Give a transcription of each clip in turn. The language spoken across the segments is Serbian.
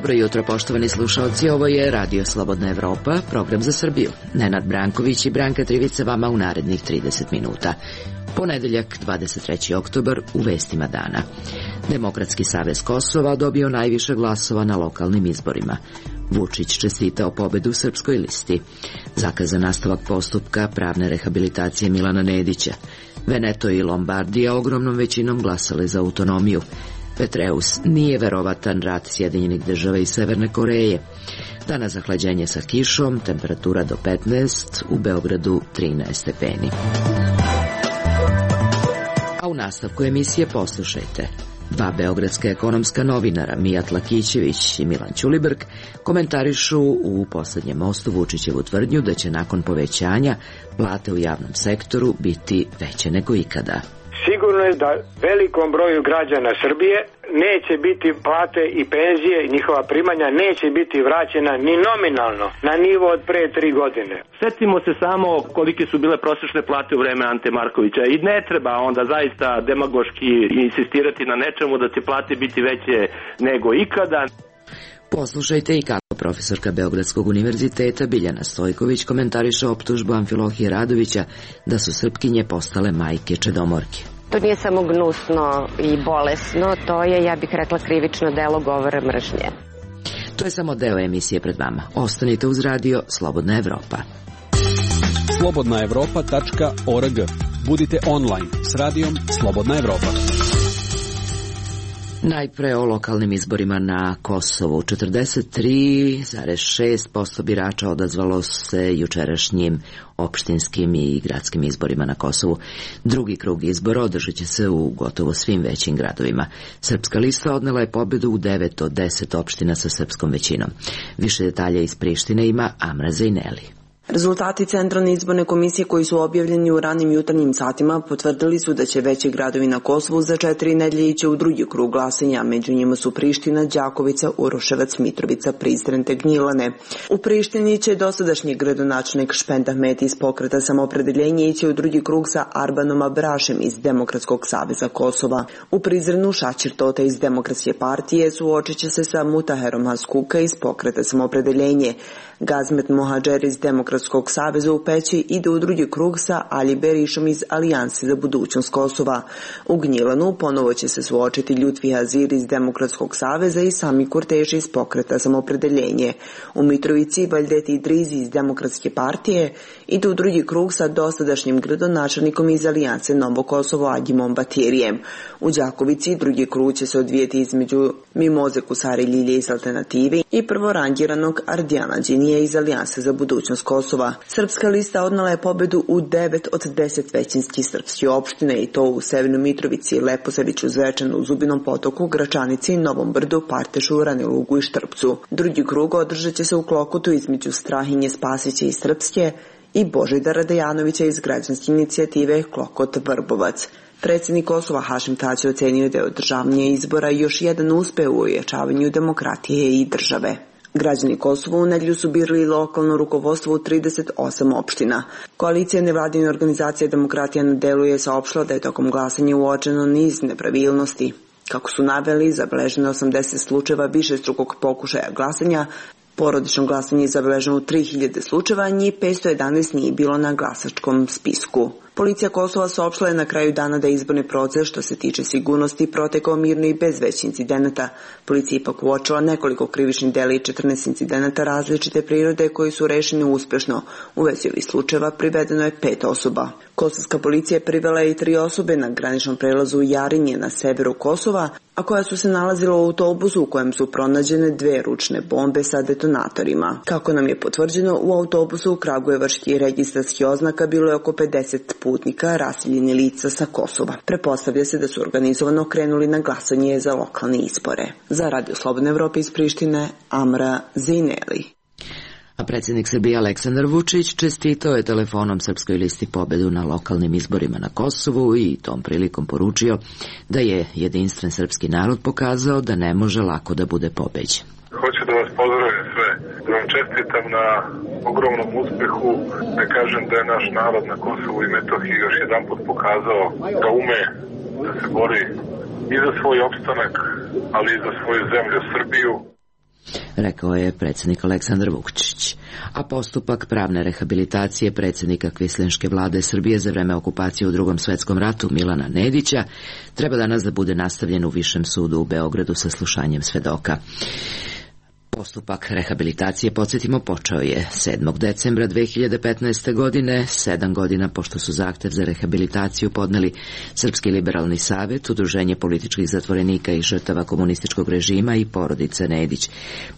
Dobro jutro, poštovani slušalci, ovo je Radio Slobodna Evropa, program za Srbiju. Nenad Branković i Branka Trivica vama u narednih 30 minuta. Ponedeljak, 23. oktobar, u vestima dana. Demokratski savez Kosova dobio najviše glasova na lokalnim izborima. Vučić čestitao pobedu Srpskoj listi. Zakazan nastavak postupka pravne rehabilitacije Milana Nedića. Veneto i Lombardija ogromnom većinom glasale za autonomiju. Petreus nije verovatan rat Sjedinjenih država i Severne Koreje. Danas zahlađenje sa kišom, temperatura do 15, u Beogradu 13 stepeni. A u nastavku emisije poslušajte. Dva beogradska ekonomska novinara, Mijat Lakićević i Milan Ćulibrk, komentarišu u poslednjem mostu Vučićevu tvrdnju da će nakon povećanja plate u javnom sektoru biti veće nego ikada. Sigurno je da velikom broju građana Srbije neće biti plate i penzije i njihova primanja neće biti vraćena ni nominalno na nivo od pre 3 godine. Setimo se samo kolike su bile prosječne plate u vreme Ante Markovića i ne treba onda zaista demagoški insistirati na nečemu da će plate biti veće nego ikada. Poslušajte i kako profesorka Beogradskog univerziteta Biljana Stojković komentariše optužbu Amfilohije Radovića da su Srpkinje postale majke čedomorke. To nije samo gnusno i bolesno, to je, ja bih rekla, krivično delo govora mržnje. To je samo deo emisije pred vama. Ostanite uz radio Slobodna Evropa. slobodnaevropa.org. Budite online s radijom Slobodna Evropa. Najpre o lokalnim izborima na Kosovu. 43,6% birača odazvalo se jučerašnjim opštinskim i gradskim izborima na Kosovu. Drugi krug izbora održat će se u gotovo svim većim gradovima. Srpska lista odnela je pobedu u 9 od 10 opština sa srpskom većinom. Više detalja iz Prištine ima Amra Zejneli. Rezultati Centralne izborne komisije koji su objavljeni u ranim jutarnjim satima potvrdili su da će veći gradovi na Kosovu za 4 nedelje ići u drugi krug glasanja. Među njima su Priština, Đakovica, Uroševac, Mitrovica, Prizren te Gnjilane. U Prištini će dosadašnji gradonačelnik Špend Ahmeti iz Pokreta Samoopredeljenje ići u drugi krug sa Arbanom Abrašem iz Demokratskog saveza Kosova. U Prizrenu Šačir Tota iz Demokratske partije suočit će se sa Mutaherom Haskuka iz Pokreta Samoopredeljenje. Gazmet Mohadžer iz Demokratskog saveza u Peći ide u drugi krug sa Ali Berišom iz Alijanse za budućnost Kosova. U Gnjilanu ponovo će se suočiti Ljutfi Hazir iz Demokratskog saveza i Sami Kurteši iz Pokreta Samoopredeljenje. U Mitrovici Valdet Idrizi iz Demokratske partije ide u drugi krug sa dosadašnjim gradonačelnikom iz Alijanse Novo Kosovo Agimom Batirijem. U Đakovici drugi krug će se odvijeti između Mimoze Kusari Ljilje iz Alternative i prvorangiranog Ardijana Đinije iz Alijanse za budućnost Kosova. Srpska lista odnela je pobedu u 9 od 10 većinskih srpskih opštine i to u Severnoj Mitrovici, Leposaviću, Zvečanu, Zubinom Potoku, Gračanici, Novom Brdu, Partešu, Ranilugu i Štrpcu. Drugi krug održat će se u Klokotu između Strahinje Spasića iz Srpske i Božidara Dejanovića iz građanske inicijative Klokot Vrbovac. Predsjednik Kosova Hašim Tači ocenio da je održavanje izbora još jedan uspeh u ojačavanju demokratije i države. Građani Kosova u nedjelju su birali lokalno rukovodstvo u 38 opština. Koalicija nevladine organizacije Demokratija na delu je saopštila da je tokom glasanja uočeno niz nepravilnosti. Kako su naveli, zabeleženo 80 slučajeva višestrukog pokušaja glasanja, porodično glasanje je zabeleženo u 3000 slučajeva, njih 511 nije bilo na glasačkom spisku. Policija Kosova saopštila je na kraju dana da je izborni proces što se tiče sigurnosti protekao mirno i bez većih incidenata. Policija ipak uočila nekoliko krivičnih dela i 14 incidenata različite prirode koji su rešeni uspešno. U vezi ovih slučajeva privedeno je 5 osoba. Kosovska policija privela je i 3 osobe na graničnom prelazu Jarinje na severu Kosova, a koja su se nalazila u autobusu u kojem su pronađene 2 ručne bombe sa detonatorima. Kako nam je potvrđeno, u autobusu u kragujevačkih registarskih oznaka bilo je oko 50 putnika, raseljeni lica sa Kosova. Pretpostavlja se da su organizovano krenuli na glasanje za lokalne izbore. Za Radio Slobodna Evropa iz Prištine, Amra Zejneli. A predsjednik Srbije Aleksandar Vučić čestitao je telefonom Srpskoj listi pobedu na lokalnim izborima na Kosovu i tom prilikom poručio da je jedinstven srpski narod pokazao da ne može lako da bude pobeđen. Hoću da vas pozdravim sve, da vam čestitam na ogromnom uspehu, da kažem da je naš narod na Kosovu i Metohiji još jedan put pokazao da ume da se bori i za svoj opstanak, ali i za svoju zemlju Srbiju. rekao je predsjednik Aleksandar Vučić. A postupak pravne rehabilitacije predsjednika kvislinške vlade Srbije za vreme okupacije u Drugom svetskom ratu Milana Nedića treba danas da bude nastavljen u Višem sudu u Beogradu sa slušanjem svedoka. Postupak rehabilitacije, podsjetimo, počeo je 7. decembra 2015. godine, 7 godina pošto su zahtev za rehabilitaciju podneli Srpski liberalni savet, Udruženje političkih zatvorenika i žrtava komunističkog režima i porodice Nedić.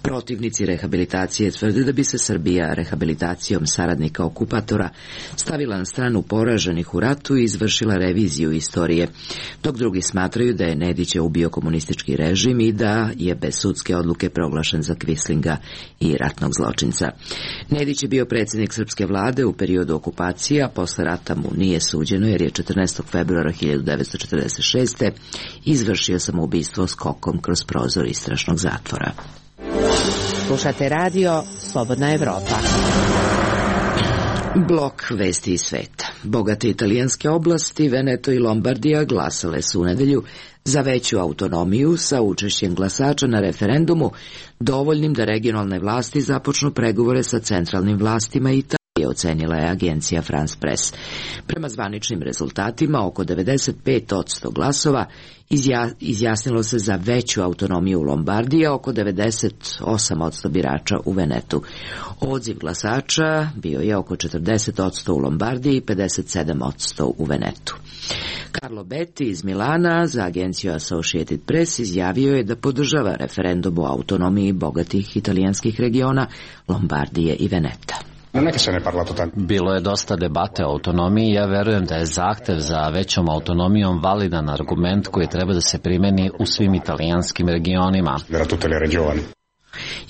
Protivnici rehabilitacije tvrde da bi se Srbija rehabilitacijom saradnika okupatora stavila na stranu poraženih u ratu i izvršila reviziju istorije, dok drugi smatraju da je Nedića ubio komunistički režim i da je bez sudske odluke proglašen za kvislinga i ratnog zločinca. Nedić je bio predsjednik srpske vlade u periodu okupacije, a posle rata mu nije suđeno jer je 14. februara 1946. izvršio samoubistvo skokom kroz prozor istražnog zatvora. Slušate radio Slobodna Evropa. Blok vesti iz sveta. Bogate italijanske oblasti, Veneto i Lombardija glasale su u nedelju za veću autonomiju sa učešćem glasača na referendumu, dovoljnim da regionalne vlasti započnu pregovore sa centralnim vlastima Italije, ocenila je agencija France Press. Prema zvaničnim rezultatima, oko 95% glasova izjasnilo se za veću autonomiju u Lombardiji, a oko 98% birača u Venetu. Odziv glasača bio je oko 40% u Lombardiji i 57% u Venetu. Carlo Betti iz Milana za agenciju Associated Press izjavio je da podržava referendum o autonomiji bogatih italijanskih regiona Lombardije i Veneta. Bilo je dosta debate o autonomiji i ja verujem da je zahtev za većom autonomijom validan argument koji treba da se primeni u svim italijanskim regionima.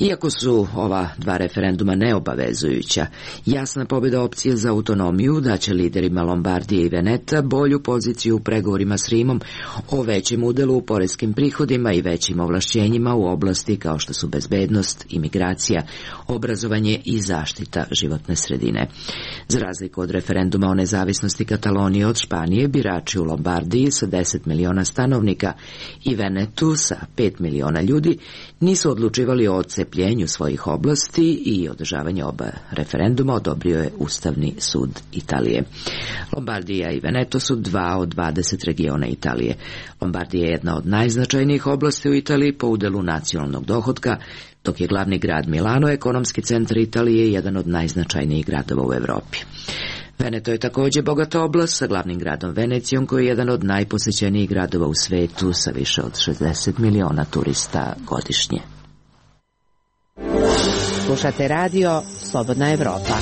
Iako su ova dva referenduma neobavezujuća, jasna pobjeda opcije za autonomiju daće liderima Lombardije i Veneta bolju poziciju u pregovorima s Rimom o većem udelu u poreskim prihodima i većim ovlašćenjima u oblasti kao što su bezbednost, imigracija, obrazovanje i zaštita životne sredine. Za razliku od referenduma o nezavisnosti Katalonije od Španije, birači u Lombardiji sa 10 miliona stanovnika i Venetu sa 5 miliona ljudi nisu odlučivali o odcepljenju svojih oblasti i održavanje oba referenduma odobrio je Ustavni sud Italije. Lombardija i Veneto su 2 od 20 regiona Italije. Lombardija je jedna od najznačajnijih oblasti u Italiji po udelu nacionalnog dohotka, dok je glavni grad Milano, ekonomski centar Italije, jedan od najznačajnijih gradova u Evropi. Veneto je također bogata oblast sa glavnim gradom Venecijom, koji je jedan od najposećenijih gradova u svetu sa više od 60 miliona turista godišnje. Slušate radio Slobodna Evropa.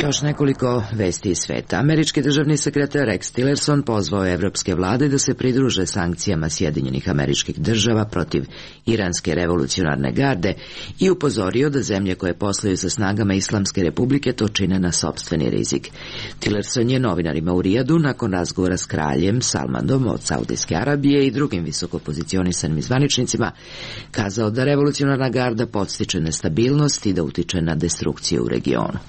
Još nekoliko vesti iz sveta. Američki državni sekretar Rex Tillerson pozvao je evropske vlade da se pridruže sankcijama Sjedinjenih Američkih Država protiv Iranske revolucionarne garde i upozorio da zemlje koje posluju sa snagama Islamske republike to čine na sopstveni rizik. Tillerson je novinarima u Rijadu nakon razgovora s kraljem Salmanom od Saudijske Arabije i drugim visokopozicionisanim zvaničnicima kazao da revolucionarna garda podstiče nestabilnost i da utiče na destrukciju u regionu.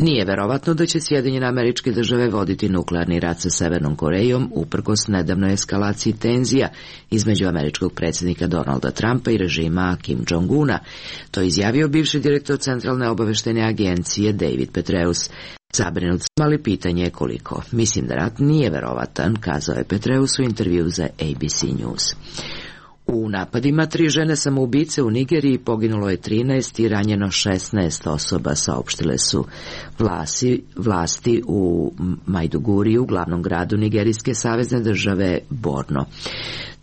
Nije verovatno da će Sjedinjene Američke Države voditi nuklearni rat sa Severnom Korejom uprkos nedavnoj eskalaciji tenzija između američkog predsjednika Donalda Trumpa i režima Kim Jong-una. To je izjavio bivši direktor Centralne obaveštajne agencije David Petraeus. Zabrinut sam, ali pitanje je koliko. Mislim da rat nije verovatan, kazao je Petraeus u intervju za ABC News. U napadima 3 žene samoubice u Nigeriji poginulo je 13 i ranjeno 16 osoba, saopštile su vlasti u Maiduguriju, glavnom gradu nigerijske savezne države Borno.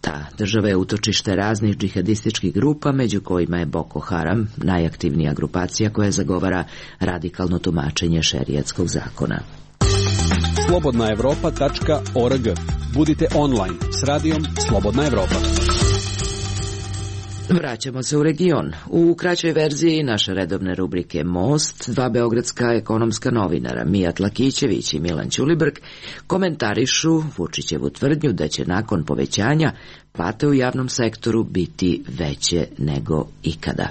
Ta država je utočište raznih džihadističkih grupa, među kojima je Boko Haram, najaktivnija grupacija koja zagovara radikalno tumačenje šerijatskog zakona. slobodnaevropa.org. Budite online s radijom Slobodna Evropa. Vraćamo se u region. U kraćoj verziji naše redovne rubrike Most, 2 beogradska ekonomska novinara, Mijat Lakićević i Milan Ćulibrk, komentarišu Vučićevu tvrdnju da će nakon povećanja plate u javnom sektoru biti veće nego ikada.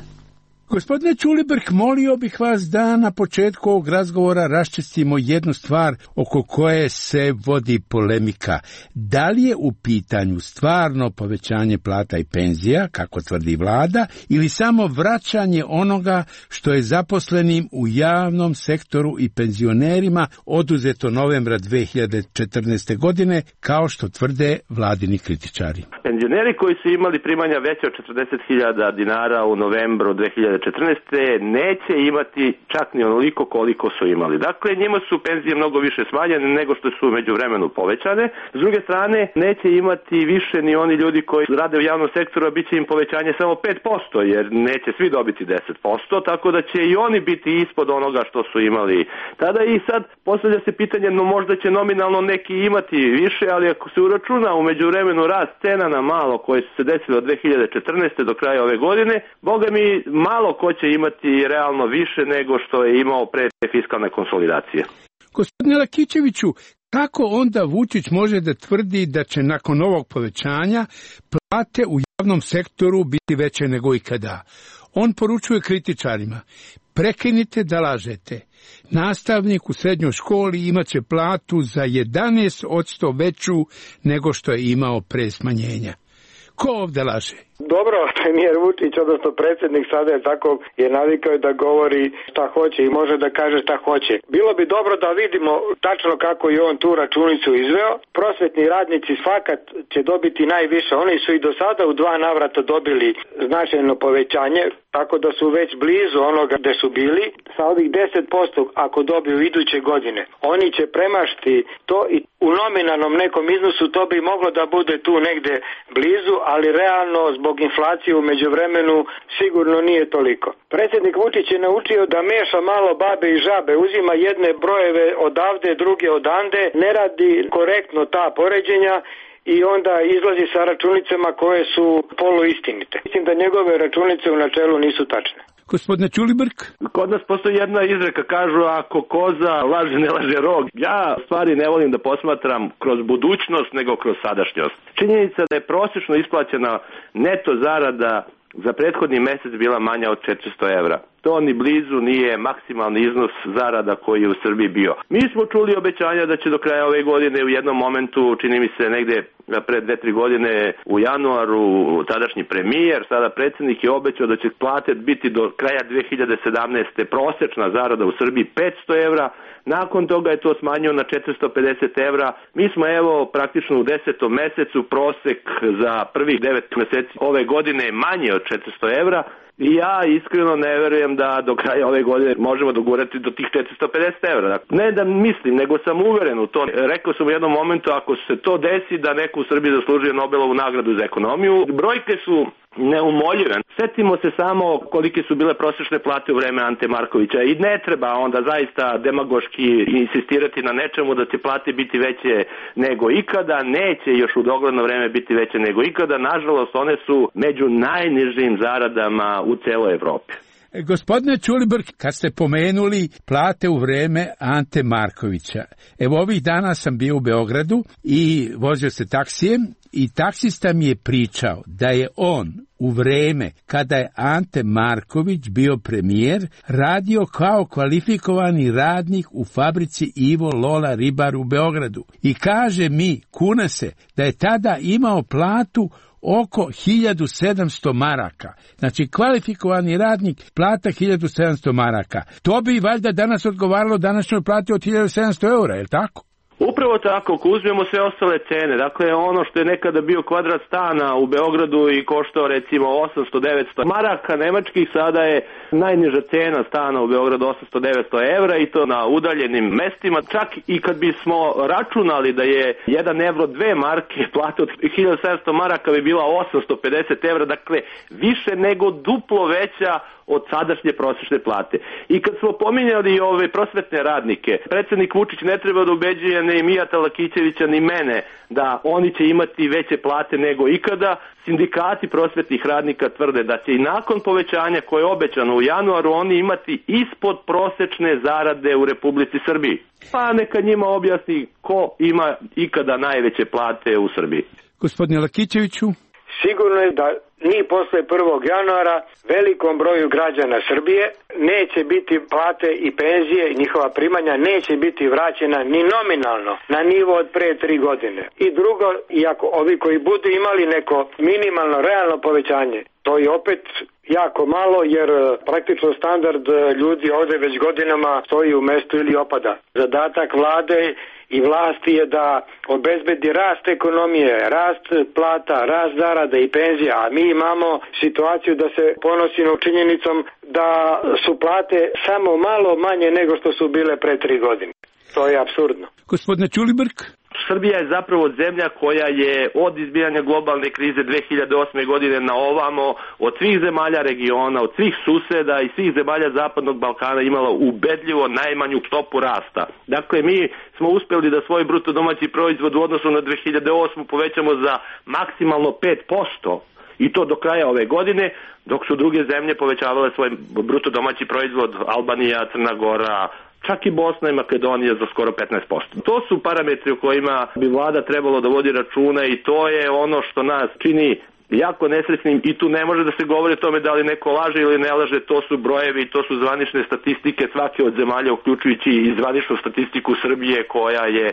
Gospodine Ćulibrk, molio bih vas da na početku ovog razgovora raščistimo jednu stvar oko koje se vodi polemika. Da li je u pitanju stvarno povećanje plata i penzija, kako tvrdi vlada, ili samo vraćanje onoga što je zaposlenim u javnom sektoru i penzionerima oduzeto novembra 2014. godine, kao što tvrde vladini kritičari? Penzioneri koji su imali primanja veće od 40.000 dinara u novembru 2014. neće imati čak ni onoliko koliko su imali. Dakle, njima su penzije mnogo više smanjene nego što su međuvremenu povećane. S druge strane, neće imati više ni oni ljudi koji rade u javnom sektoru, a bit će im povećanje samo 5%, jer neće svi dobiti 10%, tako da će i oni biti ispod onoga što su imali tada. I sad postavlja se pitanje, no možda će nominalno neki imati više, ali ako se uračuna u međuvremenu rast cena na malo koje su se desile od 2014. do kraja ove godine, boga mi malo ko će imati realno više nego što je imao pre fiskalne konsolidacije. Gospodine Lakićeviću, kako onda Vučić može da tvrdi da će nakon ovog povećanja plate u javnom sektoru biti veće nego ikada? On poručuje kritičarima: prekinite da lažete. Nastavnik u srednjoj školi imaće platu za 11% veću nego što je imao pre smanjenja. Ko ovde laže? Dobro, premijer Vučić, odnosno predsjednik sada je tako je navikao da govori šta hoće i može da kaže šta hoće. Bilo bi dobro da vidimo tačno kako je on tu računicu izveo. Prosvetni radnici fakat će dobiti najviše. Oni su i do sada u 2 navrata dobili značajno povećanje, tako da su već blizu onoga gde su bili. Sa ovih 10% ako dobiju iduće godine, oni će premašiti to i u nominalnom nekom iznosu to bi moglo da bude tu negde blizu, ali realno zbog inflacije u međuvremenu sigurno nije toliko. Predsjednik Vučić je naučio da meša malo babe i žabe, uzima jedne brojeve odavde, druge odande, ne radi korektno ta poređenja i onda izlazi sa računicama koje su poluistinite. Mislim da njegove računice u načelu nisu tačne. Gospodine Ćulibrk? Kod nas postoji jedna izreka, kažu ako koza laže ne laže rog. Ja stvari ne volim da posmatram kroz budućnost nego kroz sadašnjost. Činjenica da je prosječno isplaćena neto zarada za prethodni mesec bila manja od 400 evra. To ni blizu nije maksimalni iznos zarada koji je u Srbiji bio. Mi smo čuli obećanja da će do kraja ove godine u jednom momentu, čini mi se negde pre 2-3 godine u januaru, tadašnji premijer, sada predsjednik je obećao da će plate biti do kraja 2017. prosečna zarada u Srbiji 500 evra. Nakon toga je to smanjio na 450 evra. Mi smo evo praktično u 10. mesecu, prosek za prvih 9 meseci ove godine je manje od 400 evra. I ja iskreno ne verujem da do kraja ove godine možemo dogurati do tih 450 evra. Ne da mislim, nego sam uveren u to. Rekao sam u jednom momentu, ako se to desi, da neko u Srbiji zaslužuje Nobelovu nagradu za ekonomiju. Brojke su neumoljive. Setimo se samo kolike su bile prosječne plate u vreme Ante Markovića i ne treba onda zaista demagoški insistirati na nečemu da će plate biti veće nego ikada. Neće još u dogledno vreme biti veće nego ikada. Nažalost, one su među najnižim zaradama u celoj Evropi. Gospodine Ćulibrk, kad ste pomenuli plate u vreme Ante Markovića, evo ovih dana sam bio u Beogradu i vozio se taksijem i taksista mi je pričao da je on u vreme kada je Ante Marković bio premijer radio kao kvalifikovani radnik u fabrici Ivo Lola Ribar u Beogradu. I kaže mi, kuna se, da je tada imao platu oko 1700 maraka. Znači, kvalifikovani radnik, plata 1700 maraka. To bi valjda danas odgovaralo današnjoj plati od 1700 eura, je li tako? Upravo tako, ako uzmemo sve ostale cene, dakle ono što je nekada bio kvadrat stana u Beogradu i koštao recimo 800-900 maraka nemačkih, sada je najniža cena stana u Beogradu 800-900 evra i to na udaljenim mestima. Čak i kad bismo računali da je 1 evro 2 marke, plata od 1700 maraka bi bila 850 evra, dakle više nego duplo veća od sadašnje prosječne plate. I kad smo pominjali ove prosvetne radnike, predsjednik Vučić ne treba da ubeđuje ni Mijata Lakićevića ni mene da oni će imati veće plate nego ikada. Sindikati prosvetnih radnika tvrde da će i nakon povećanja koje je obećano u januaru oni imati ispod prosečne zarade u Republici Srbiji. Pa neka njima objasni ko ima ikada najveće plate u Srbiji. Gospodine Lakićeviću? Sigurno je da ni posle 1. januara velikom broju građana Srbije neće biti plate i penzije i njihova primanja neće biti vraćena ni nominalno na nivo od pre 3 godine. I drugo, iako ovi koji budu imali neko minimalno realno povećanje, to je opet jako malo jer praktično standard ljudi ovde već godinama stoji u mestu ili opada. Zadatak vlade i vlasti je da obezbedi rast ekonomije, rast plata, rast zarada i penzija, a mi imamo situaciju da se ponosimo činjenicom da su plate samo malo manje nego što su bile pre 3 godine. To je apsurdno. Gospodine Ćulibrk? Srbija je zapravo zemlja koja je od izbijanja globalne krize 2008. godine na ovamo od svih zemalja regiona, od svih suseda i svih zemalja Zapadnog Balkana imala ubedljivo najmanju stopu rasta. Dakle, mi smo uspeli da svoj bruto domaći proizvod u odnosu na 2008. povećamo za maksimalno 5%. I to do kraja ove godine, dok su druge zemlje povećavale svoj bruto domaći proizvod, Albanija, Crna Gora, čak i Bosna i Makedonija za skoro 15%. To su parametri o kojima bi vlada trebalo da vodi računa i to je ono što nas čini jako nesrećnim i tu ne može da se govori o tome da li neko laže ili ne laže, to su brojevi, to su zvanične statistike svake od zemalja, uključujući i zvaničnu statistiku Srbije koja je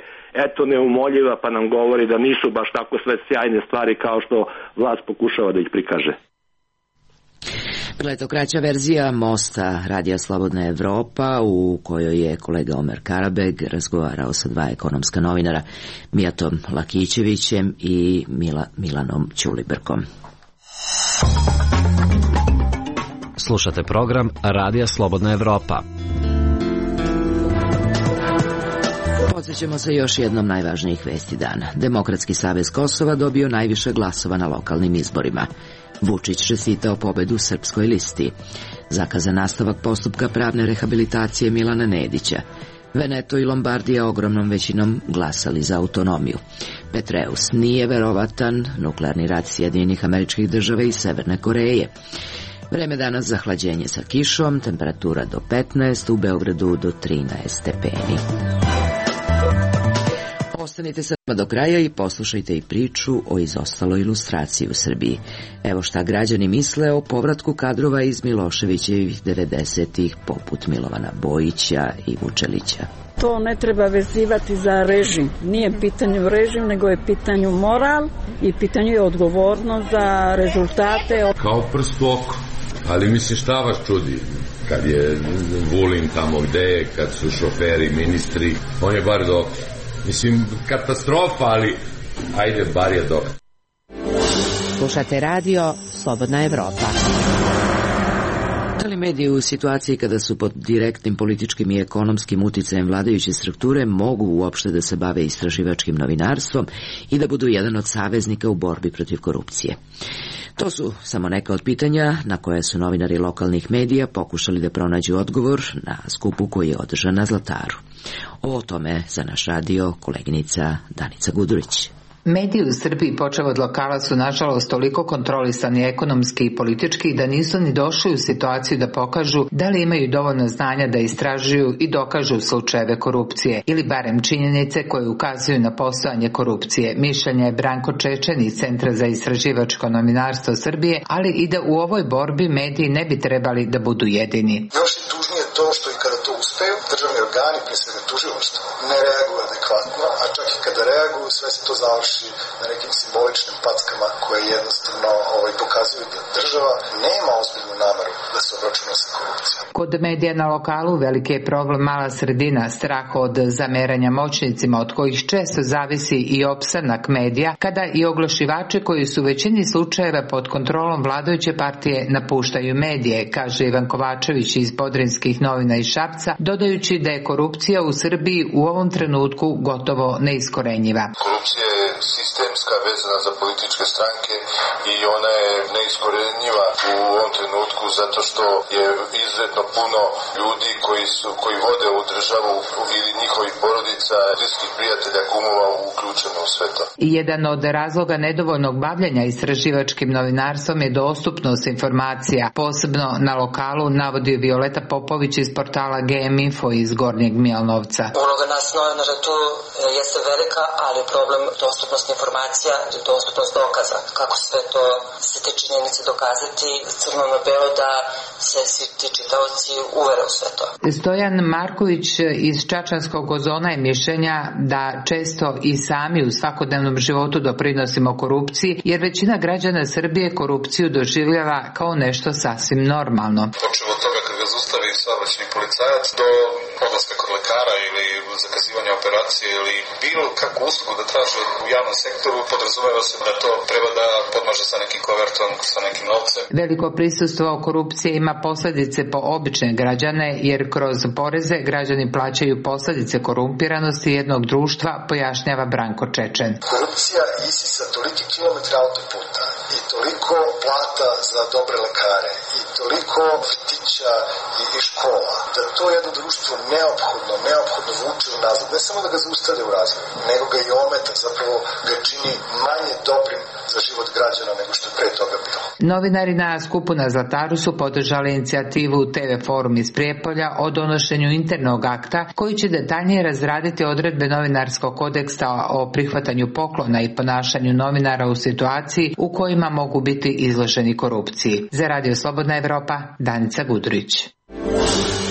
neumoljiva pa nam govori da nisu baš tako sve sjajne stvari kao što vlast pokušava da ih prikaže. Bila je to kraća verzija Mosta Radija Slobodna Evropa u kojoj je kolega Omer Karabeg razgovarao sa 2 ekonomska novinara, Mijatom Lakićevićem i Milanom Ćulibrkom. Slušate program Radija Slobodna Evropa. Podsjećamo se još jednom najvažnijih vesti dana. Demokratski savez Kosova dobio najviše glasova na lokalnim izborima. Vučić čestitao pobedu Srpskoj listi. Zakazan nastavak postupka pravne rehabilitacije Milana Nedića. Veneto i Lombardija ogromnom većinom glasali za autonomiju. Petreus nije verovatan, nuklearni rat Sjedinjenih Američkih Država i Severne Koreje. Vreme danas za hlađenje sa kišom, temperatura do 15, u Beogradu do 13 stepeni. Ostanite sa nama do kraja i poslušajte i priču o izostaloj ilustraciji u Srbiji. Evo šta građani misle o povratku kadrova iz Miloševićevih 90-ih poput Milovana Bojića i Vučelića. To ne treba vezivati za režim. Nije pitanju režim, nego je pitanju moral i pitanju je odgovornost za rezultate. Kao prst u oko. Ali mislim šta vas čudi? Kad je Vulin tamo gde je, kad su šoferi, ministri, on je bar dok. Mislim, katastrofa, ali ajde, bar je dok. Slušate radio Slobodna Evropa. Da li mediji u situaciji kada su pod direktnim političkim i ekonomskim uticajem vladajuće strukture mogu uopšte da se bave istraživačkim novinarstvom i da budu jedan od saveznika u borbi protiv korupcije? To su samo neka od pitanja na koje su novinari lokalnih medija pokušali da pronađu odgovor na skupu koji je održan na Zlataru. O tome za naš radio koleginica Danica Gudurić. Mediji u Srbiji, počev od lokala, su nažalost toliko kontrolisani ekonomski i politički da nisu ni došli u situaciju da pokažu da li imaju dovoljno znanja da istražuju i dokažu slučajeve korupcije ili barem činjenice koje ukazuju na postojanje korupcije. Mišljenje je Branko Čečen iz Centra za istraživačko novinarstvo Srbije, ali i da u ovoj borbi mediji ne bi trebali da budu jedini. Još je tužnije to što i kada to uspeju, državni organi, pre svega tužilaštvo, ne reaguju adekvatno, a čak i kada reaguju, sve se to završi na nekim simboličnim packama koje jednostavno pokazuju da država nema ozbiljnu nameru da se obračuna sa korupcijom. Kod medija na lokalu veliki je problem mala sredina, strah od zameranja moćnicima od kojih često zavisi i opstanak medija, kada i oglašivači koji su u većini slučajeva pod kontrolom vladajuće partije napuštaju medije, kaže Ivan Kovačević iz Podrinskih novina iz Šapca, dodajući da je korupcija u Srbiji u ovom trenutku gotovo neiskorenjiva. Korupcija je sistemska, vezana za političke stranke i ona je neiskorenjiva u ovom trenutku zato što je izuzetno puno ljudi koji vode ovu državu ili njihovih porodica, bliskih prijatelja, kumova uključeno u sve to. Jedan od razloga nedovoljnog bavljenja istraživačkim novinarstvom je dostupnost informacija, posebno na lokalu, navodi Violeta Popović iz portala GM Info iz Gornjeg Milanovca. Uloga nas novinara tu jeste velika, ali problem dostupnost informacija i dostupnost dokaza. Kako sve to se te činjenice dokazati crno na belo da se svi ti čitaoci uvere u sve to. Stojan Marković iz Čačanskog Ozona je mišljenja da često i sami u svakodnevnom životu doprinosimo korupciji, jer većina građana Srbije korupciju doživljava kao nešto sasvim normalno. Počeo od toga kad ga zaustavi saobraćajni policajac do odlaska kod lekara ili zakazivanja operacije ili bilo kakvu uslugu da traže u javnom sektoru, podrazumeva se da to treba da podmaže sa nekim kovertom, sa nekim novcem. Veliko prisustvo korupcije ima posljedice po obične građane, jer kroz poreze građani plaćaju posljedice korumpiranosti jednog društva, pojašnjava Branko Čečen. Korupcija isisa toliki kilometra autoputa i toliko plata za dobre lekare i toliko vrtića i škola, da to jedno društvo neophodno vuče unazad. Ne samo da ga zaustavlja u razvoju, nego ga i ometa, zapravo ga čini manje dobrim za život građana nego što je pre toga bilo. Novinari na skupu na Zlataru su podržali inicijativu TV Forum iz Prijepolja o donošenju internog akta koji će detaljnije razraditi odredbe novinarskog kodeksa o prihvatanju poklona i ponašanju novinara u situaciji u kojima mogu biti izloženi korupciji. Za Radio Slobodna Evropa, Danica Gudurić.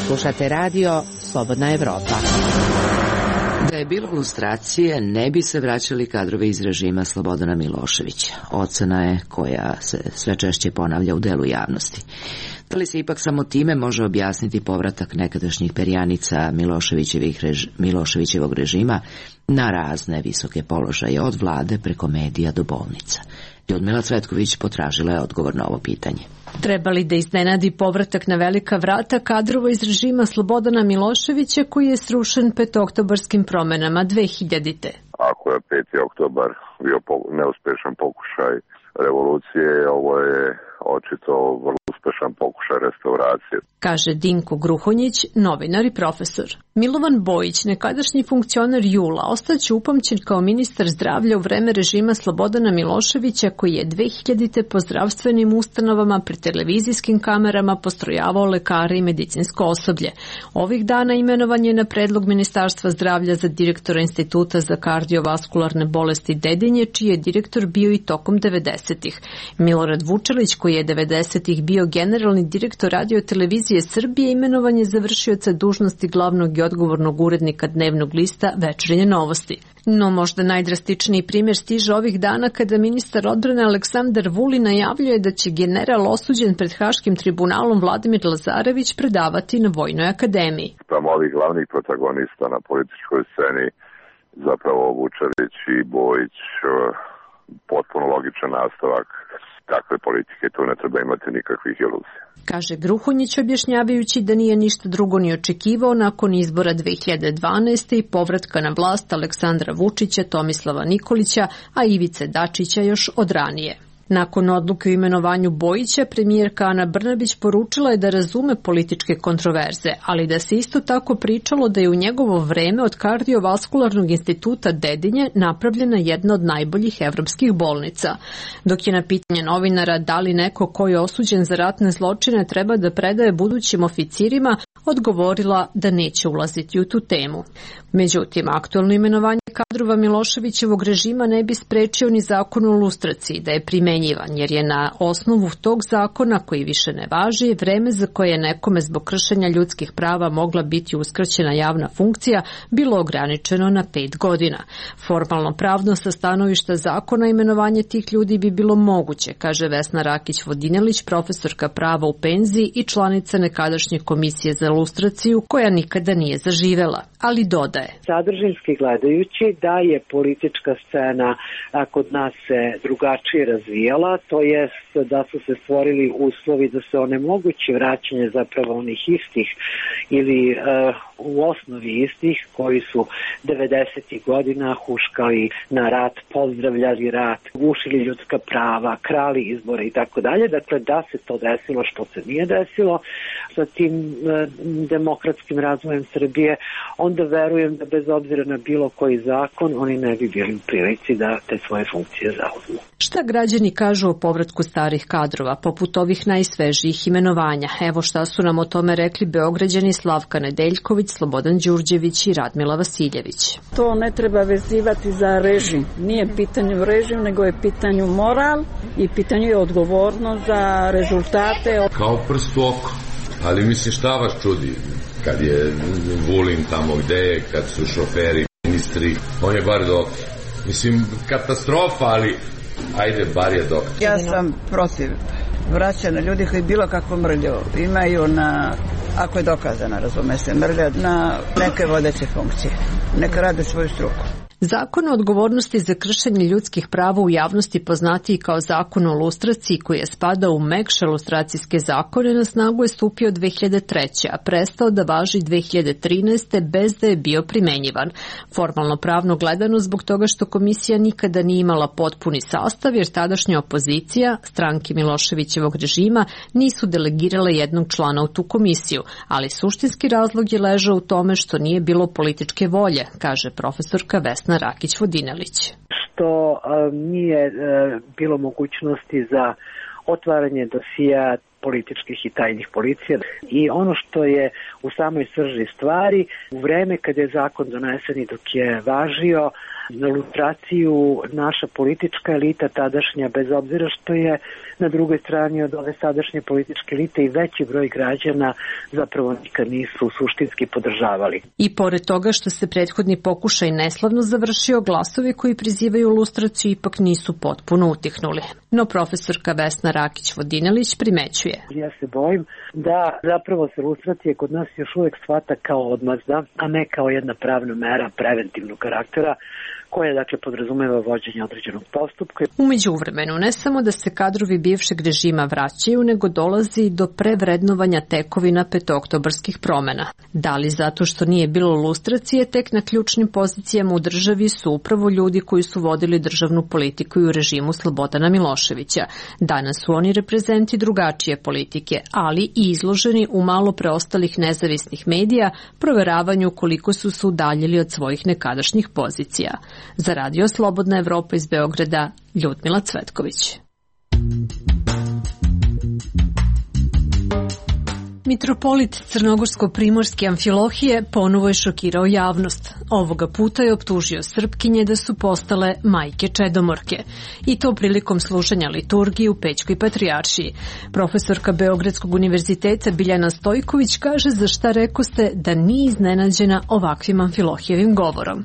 Slušate radio Slobodna Evropa. Da je bilo lustracije, ne bi se vraćali kadrovi iz režima Slobodana Miloševića. Ocena je koja se sve češće ponavlja u delu javnosti. Da li se ipak samo time može objasniti povratak nekadašnjih perjanica Miloševićevog režima na razne visoke položaje od vlade preko medija do bolnica? Ljudmila Cvetković potražila je odgovor na ovo pitanje. Treba li da iznenadi povratak na velika vrata kadrova iz režima Slobodana Miloševića koji je srušen petooktobarskim promenama 2000. Ako je 5. oktobar bio neuspešan pokušaj revolucije, ovo je očito vrlo uspešan pokušaj restauracije. Kaže Dinko Gruhonjić, novinar i profesor. Milovan Bojić, nekadašnji funkcioner JUL-a, ostaće upamćen kao ministar zdravlja u vreme režima Slobodana Miloševića koji je 2000. po zdravstvenim ustanovama pred televizijskim kamerama postrojavao lekare i medicinsko osoblje. Ovih dana imenovan je na predlog Ministarstva zdravlja za direktora Instituta za kardiovaskularne bolesti Dedinje, čiji je direktor bio i tokom 90-ih. Milorad Vučelić, koji je 90-ih bio generalni direktor Radio-televizije Srbije, imenovan je za vršioca dužnosti glavnog i odgovornog urednika dnevnog lista Večernje novosti. No možda najdrastičniji primjer stiže ovih dana kada ministar odbrane Aleksandar Vulin najavljuje da će general osuđen pred Haškim tribunalom Vladimir Lazarević predavati na Vojnoj akademiji. Tamo ovih glavnih protagonista na političkoj sceni, zapravo Vučelić i Bojić, potpuno logičan nastavak takve politike, tu ne treba imati nikakvih iluzija. Kaže Gruhonjić, objašnjavajući da nije ništa drugo ni očekivao nakon izbora 2012. i povratka na vlast Aleksandra Vučića, Tomislava Nikolića, a Ivice Dačića još od ranije. Nakon odluke o imenovanju Bojića, premijerka Ana Brnabić poručila je da razume političke kontroverze, ali da se isto tako pričalo da je u njegovo vreme od kardiovaskularnog instituta Dedinje napravljena jedna od najboljih evropskih bolnica. Dok je na pitanje novinara da li neko ko je osuđen za ratne zločine treba da predaje budućim oficirima, odgovorila da neće ulaziti u tu temu. Međutim, aktualno imenovanje kadrova Miloševićevog režima ne bi sprečio ni zakon o lustraciji da je primenjivan, jer je na osnovu tog zakona, koji više ne važi, vreme za koje je nekome zbog kršenja ljudskih prava mogla biti uskraćena javna funkcija bilo ograničeno na 5 godina. Formalno pravno sa stanovišta zakona imenovanje tih ljudi bi bilo moguće, kaže Vesna Rakić-Vodinelić, profesorka prava u penziji i članica nekadašnje komisije za za lustraciju koja nikada nije zaživela, ali dodaje. Sadržinski gledajući da je politička scena kod nas se drugačije razvijala, to jest da su se stvorili uslovi da se onemogući vraćanje zapravo onih istih ili u osnovi istih koji su 90. godina huškali na rat, pozdravljali rat, gušili ljudska prava, krali izbore i tako dalje. Dakle, da se to desilo što se nije desilo sa tim demokratskim razvojem Srbije, onda verujem da bez obzira na bilo koji zakon oni ne bi bili u prilici da te svoje funkcije zauzmu. Šta građani kažu o povratku starih kadrova, poput ovih najsvežijih imenovanja? Evo šta su nam o tome rekli Beograđani Slavka Nedeljković, Slobodan Đurđević i Radmila Vasiljević. To ne treba vezivati za režim. Nije pitanju režim, nego je pitanju moral i pitanju je odgovornost za rezultate. Kao prst u oko. Ali mislim šta vas čudi kad je Vulin tamo gde je, kad su šoferi, ministri, on je bar doktor. Mislim, katastrofa, ali ajde, bar je doktor. Ja sam protiv vraćanja ljudi koji bilo kakvu mrlju imaju na, ako je dokazana, razume se, mrlja na neke vodeće funkcije. Neka rade svoju struku. Zakon o odgovornosti za kršenje ljudskih prava u javnosti, poznatiji kao zakon o lustraciji, koji je spadao u mekše lustracijske zakone, na snagu je stupio 2003. a prestao da važi 2013. bez da je bio primenjivan. Formalno pravno gledano zbog toga što komisija nikada nije imala potpuni sastav, jer tadašnja opozicija, stranke Miloševićevog režima, nisu delegirale jednog člana u tu komisiju, ali suštinski razlog je ležao u tome što nije bilo političke volje, kaže profesorka Vesna Rakić-Vodinelić. Što nije bilo mogućnosti za otvaranje dosija političkih i tajnih policija. I ono što je u samoj srži stvari, u vreme kada je zakon donesen i dok je važio, na lustraciju naša politička elita tadašnja, bez obzira što je na drugoj strani od ove sadašnje političke elite i veći broj građana zapravo nikad nisu suštinski podržavali. I pored toga što se prethodni pokušaj neslavno završio, glasovi koji prizivaju lustraciju ipak nisu potpuno utihnuli. No profesorka Vesna Rakić-Vodinelić primećuje. Ja se bojim da zapravo se lustracija kod nas još uvek shvata kao odmazda, a ne kao jedna pravna mera preventivnog karaktera, koja dakle podrazumeva vođenje određenog postupka. U međuvremenu ne samo da se kadrovi bivšeg režima vraćaju, nego dolazi do prevrednovanja tekovina petooktobarskih promena. Da li zato što nije bilo lustracije, tek na ključnim pozicijama u državi su upravo ljudi koji su vodili državnu politiku i u režimu Slobodana Miloševića. Danas su oni reprezenti drugačije politike, ali i izloženi u malo preostalih nezavisnih medija proveravanju koliko su se udaljili od svojih nekadašnjih pozicija. Za Radio Slobodna Evropa iz Beograda, Ljudmila Cvetković. Mitropolit Crnogorsko-primorske Amfilohije ponovo je šokirao javnost. Ovoga puta je optužio Srpkinje da su postale majke čedomorke. I to prilikom slušanja liturgije u Pećkoj patrijaršiji. Profesorka Beogradskog univerziteta Biljana Stojković kaže za šta rekoste da nije iznenađena ovakvim Amfilohijevim govorom.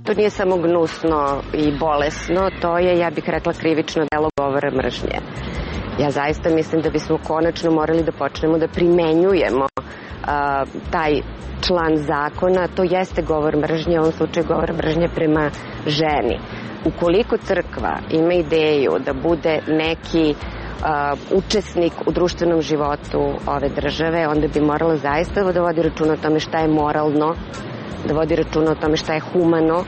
To nije samo gnusno i bolesno, to je, ja bih rekla, krivično delo govora mržnje. Ja zaista mislim da bismo konačno morali da počnemo da primenjujemo taj član zakona. To jeste govor mržnje, u ovom slučaju govor mržnje prema ženi. Ukoliko crkva ima ideju da bude neki učesnik u društvenom životu ove države, onda bi morala zaista da vodi računa o tome šta je moralno, da vodi računa o tome šta je humano,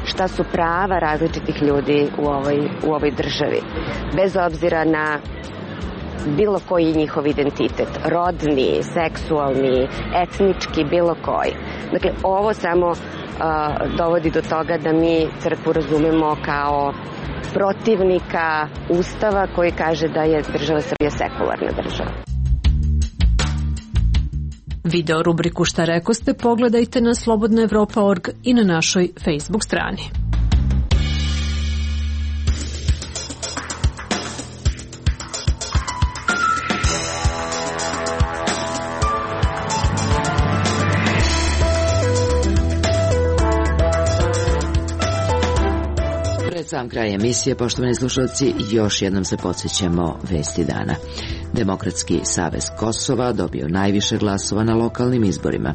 šta su prava različitih ljudi u ovoj državi. Bez obzira na bilo koji njihov identitet, rodni, seksualni, etnički, bilo koji. Dakle, ovo samo dovodi do toga da mi crkvu razumemo kao protivnika Ustava koji kaže da je država Srbija sekularna država. Video rubriku Šta rekoste pogledajte na slobodnaevropa.org i na našoj Facebook strani. Pred sam kraj emisije, poštovani slušalci, još jednom se podsjećamo vesti dana. Demokratski savez Kosova dobio najviše glasova na lokalnim izborima.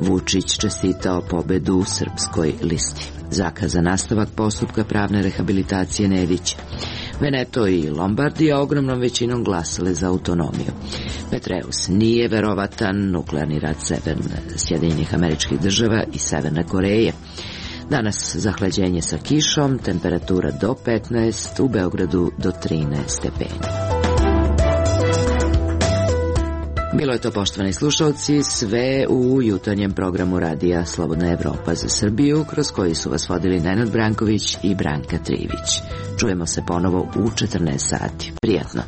Vučić čestitao pobedu Srpskoj listi. Zakazan nastavak postupka pravne rehabilitacije Nedića. Veneto i Lombardija ogromnom većinom glasale za autonomiju. Petreus nije verovatan, nuklearni rat Sjedinjenih Američkih Država i Severne Koreje. Danas zahlađenje sa kišom, temperatura do 15, u Beogradu do 13 stepeni. Bilo je to, poštovani slušalci, sve u jutarnjem programu radija Slobodna Evropa za Srbiju, kroz koji su vas vodili Nenad Branković i Branka Trivić. Čujemo se ponovo u 14 sati. Prijatno.